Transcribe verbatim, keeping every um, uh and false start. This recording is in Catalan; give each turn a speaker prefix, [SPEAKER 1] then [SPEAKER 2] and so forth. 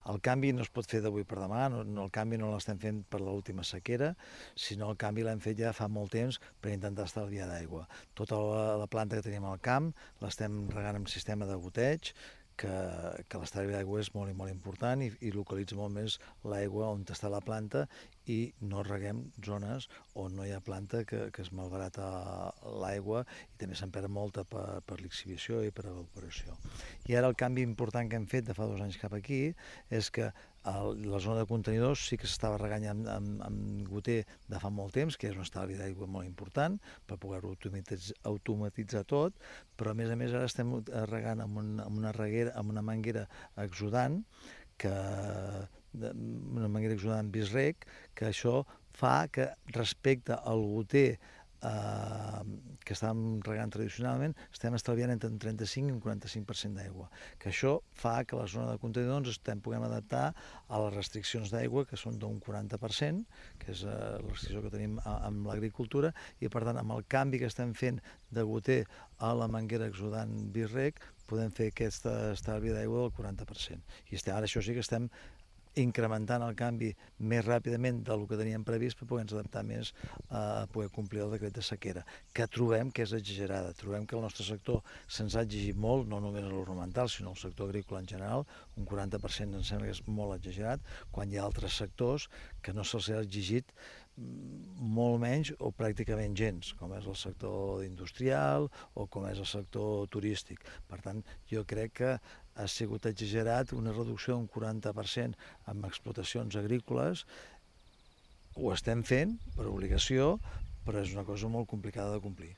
[SPEAKER 1] El canvi no es pot fer d'avui per demà, no, no, el canvi no l'estem fent per l'última sequera, sinó el canvi l'hem fet ja fa molt temps per intentar estalviar d'aigua. Tota la, la planta que tenim al camp l'estem regant amb sistema de goteig, que, que l'estalvi d'aigua és molt i molt important i, i localitza molt més l'aigua on està la planta i no reguem zones on no hi ha planta que, que es malbarata l'aigua i també se'n perd molta per, per lixiviació i per evaporació. I ara el canvi important que hem fet de fa dos anys cap aquí és que el, la zona de contenidors sí que s'estava regant amb, amb, amb goter de fa molt temps, que és un estalvi d'aigua molt important per poder-ho automatitzar, automatitzar tot, però a més a més ara estem regant amb, un, amb una reguera, amb una manguera exudant, que una manguera exudant bisrec, que això fa que respecte al goter eh, que estàvem regant tradicionalment, estem estalviant entre un trenta-cinc i un quaranta-cinc per cent d'aigua, que això fa que la zona de contenidors estem puguem adaptar a les restriccions d'aigua, que són d'un quaranta per cent, que és eh, la restricció que tenim amb l'agricultura, i per tant amb el canvi que estem fent de goter a la manguera exudant bisrec podem fer aquest estalvi d'aigua del quaranta per cent. I estem, ara això sí que estem incrementant el canvi més ràpidament del que teníem previst per poder-nos adaptar més a poder complir el decret de sequera, que trobem que és exagerada. Trobem que el nostre sector se'ns ha exigit molt, no només a l'ornamental, sinó al sector agrícola en general, un quaranta per cent em sembla que és molt exagerat, quan hi ha altres sectors que no se'ls ha exigit molt menys o pràcticament gens, com és el sector industrial o com és el sector turístic. Per tant, jo crec que ha sigut exagerat una reducció d'un quaranta per cent en explotacions agrícoles. Ho estem fent per obligació, però és una cosa molt complicada de complir.